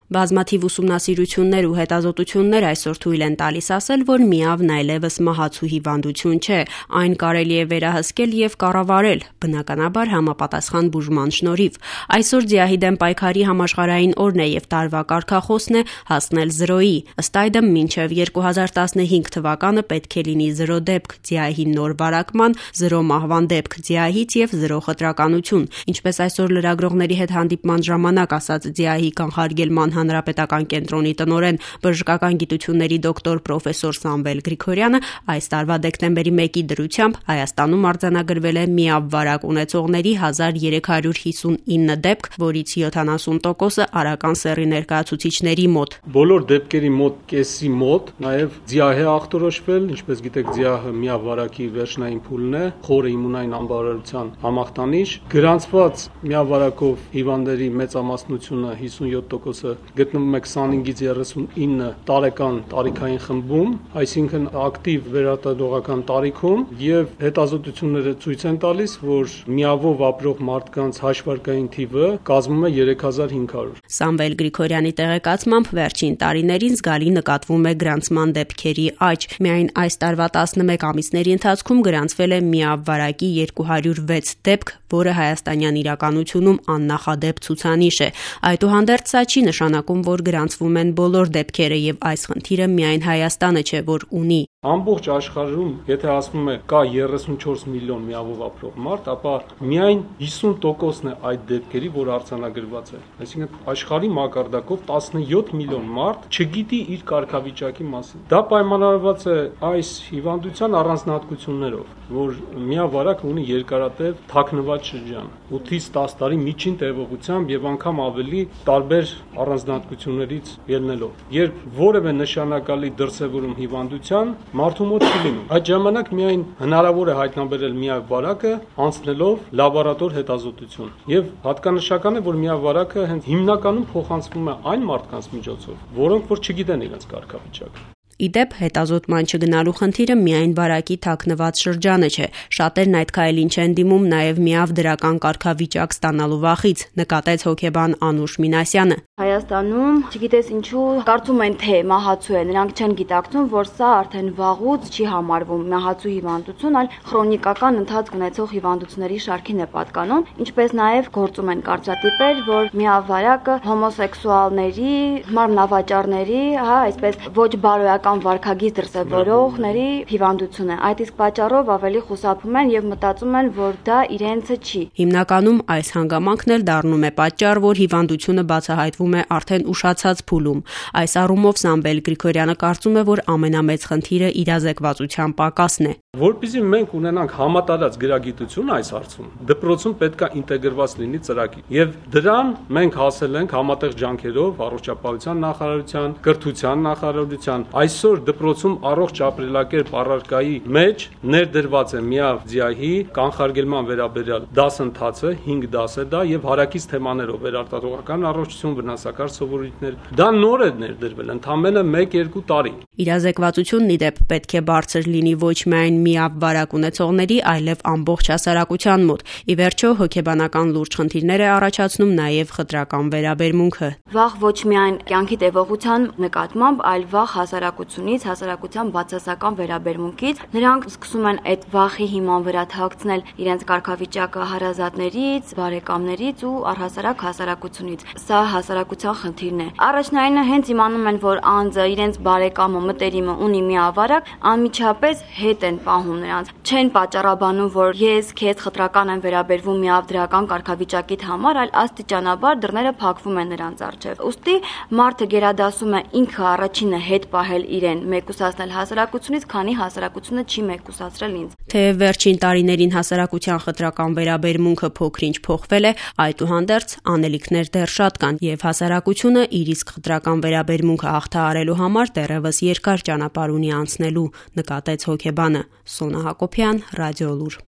Բազմաթիվ ուսումնասիրություններ ու հետազոտություններ այսօր թույլ են տալիս ասել, որ միավն այլևս մահացու հիվանդություն չէ, այն կարելի է վերահսկել եւ կառավարել, բնականաբար համապատասխան բուժման շնորհիվ։ Այսօր ձիահի դեմ պայքարի համաշխարհային օրն է եւ տարվա կարգախոսն է հասնել 0-ի։ Ըստ այդմ մինչեւ 2015 թվականը պետք է լինի 0 դեպք ձիահի նոր վարակման, 0 մահվան դեպք ձիահից եւ 0 խտրականություն։ Ինչպես այսօր լրագրողների հետ հանդիպման ժամանակ ասաց ձիահի կանխարգելման հանրապետական կենտրոնի տնօրեն բժշկական գիտությունների դոկտոր պրոֆեսոր Սամվել Գրիգորյանը, այս տարվա դեկտեմբերի 1-ի դրությամբ Հայաստանում արձանագրվել է միավ վարակ ունեցողների 1359 դեպք, որից 70%-ը արական սեռի ներկայացուցիչների մոտ։ Բոլոր դեպքերի մոտ կեսի մոտ նաև ձիահ է ախտորոշվել, ինչպես գիտեք, ձիահը միավ վարակի վերջնային փուլն է, խորը իմունային անբավարարության համախտանիշ։ Գրանցված միավ վարակով հիվանդների մեծամասնությունը 57%-ը գտնվում է 25-ից 39 տարեկան տարիքային խմբում, այսինքն ակտիվ վերարտադրողական տարիքում, եւ հետազոտությունները ցույց են տալիս, որ միավով ապրող մարդկանց հաշվարկային թիվը կազմում է 3500։ Սամվել Գրիգորյանի տեղեկացմամբ վերջին տարիներին զգալի նկատվում է գրանցման դեպքերի աճ։ Միայն այս տարվա 11 ամիսների ընթացքում գրանցվել է միավ վարակի 206 դեպք, որը հայաստանյան իրականությունում աննախադեպ ցուցանիշ է։ Այդուհանդերձ սա չի նշանակում, որ գրանցվում են բոլոր դեպքերը եւ այս խնդիրը միայն Հայաստանը չէ, որ ունի։ Ամբողջ աշխարհում, եթե ասվում է կա 34 միլիոն միավով ապրող մարդ, ապա միայն 50%-ն է այդ դեպքերի, որ արձանագրված է։ Այսինքն աշխարհի մակարդակով 17 միլիոն մարդ չգիտի իր կարգավիճակի մասին։ Դա պայմանավորված է այս հիվանդության առանձնահատկություններով, որ միավարակը ունի երկարատև թաքնված շրջան, 8-ից 10 տարի միջին տևողությամբ եւ անգամ ավելի տարբեր առանձնահատկություններից ելնելով։ Երբ որևէ նշանակալի դրսևորում հիվանդության մարդու մոտ չի լինում, այդ ժամանակ միայն հնարավոր է հայտնաբերել միավարակը անցնելով լաբորատոր հետազոտություն։ Եվ հատկանշական է, որ միավարակը հենց հիմնականում փոխանցվում է այն մարդկանց միջոցով, որոնք որ չգիտեն իրենց կարգավիճակը։ Իդեպ հետազոտման չգնալու խնդիրը միայն վարակի թաքնված շրջանը չէ։ Շատերն այդ քայլին չեն դիմում նաև միավ դրական կարգավիճակ ստանալու վախից, նկատեց հոգեբան Անուշ Մինասյանը։ Հայաստանում, չգիտես ինչու, կարծում են թե մահացու է, նրանք չեն գիտակցում, որ սա արդեն վաղուց չի համարվում մահացու հիվանդություն, այլ քրոնիկական ընթացք ունեցող հիվանդությունների շարքին է պատկանում, ինչպես նաև գործում են կարծրատիպեր, որ միավարակը հոմոսեքսուալների, մարմնավաճառների, այսպես ոչ բարոյական վարքագիծ դրսևորողների հիվանդություն է։ Այդ իսկ պատճառով ավելի խուսափում են եւ մտածում են, որ դա իրենցը չի։ Հիմնականում այս հանգամանքն էլ դառնում է պատճառ, որ հիվանդությունը բացահայտվում է արդեն ուշացած փուլում։ Այս առումով Սամվել Գրիգորյանը կարծում է, որ ամենամեծ խնդիրը իրազեկվածության պակասն է։ Որպեսզի մենք ունենանք համատարած գրագիտություն այս հարցում, դպրոցում պետք է ինտեգրված լինի ծրագիր։ Եվ դրան մենք հասել ենք համատեղ ջանքերով առողջապահության նախարարության, կրթության նախարարության։ Այսօր դպրոցում առողջ ապրելակերպ առարկայի մեջ ներդրված է միավ ձիահի կանխարգելման վերաբերյալ դասընթացը, 5 դաս է դա եւ հարակից թեմաներով վերարտադրողական առողջություն, վնասակար սովորույթներ։ Դա նոր է ներդրվել, ընդամենը 1-2 տարի։ Իրազեկվածությունն իդեպ պետք է բարձր լինի ոչ միայն միավ վարակ ունեցողների, այլև ամբողջ հասարակության մոտ։ Ի վերջո, հոգեբանական լուրջ խնդիրներ է առաջացնում նաև խտրական վերաբերմունքը։ Վաղ ոչ միայն կյանքի տևողության նկատմամբ, այլ վաղ հասարակությունից, հասարակության բացասական վերաբերմունքից։ Նրանք սկսում են այդ վախի հիման վրա թաքցնել իրենց կարգավիճակը հարազատներից, բարեկամներից ու առհասարակ հասարակությունից։ Սա հասարակության խնդիրն է։ Առաջնայինը հենց իմանում են, որ անձը իրենց բարեկամը, մտերիմը ունի միավարակ, անմիջապես հետ են պահում նրանց։ Չեն պատճառաբանում, որ ես քեզ խտրական եմ վերաբերվում միավ դրական կարգավիճակիդ համար, այլ աստիճանաբար դռները փակվում են նրանց առջև։ Ուստի մարդը գերադասում է ինքը առաջինը հետ պահել իրեն, մեկուսացնել հասարակությունից, քանի հասարակությունը չի մեկուսացրել ինձ։ Թեև վերջին տարիներին հասարակության խտրական վերաբերմունքը փոքր-ինչ փոխվել է, այդուհանդերձ անելիքներ դեռ շատ կան, եւ հասարակությունը իր իսկ խտրական վերաբերմունքը հաղթահարելու համար դեռևս երկար ճանապարհ ունի անցնելու, նկատեց հոգեբանը։ Սոնա Հակոբյան, Ռադիոլուր։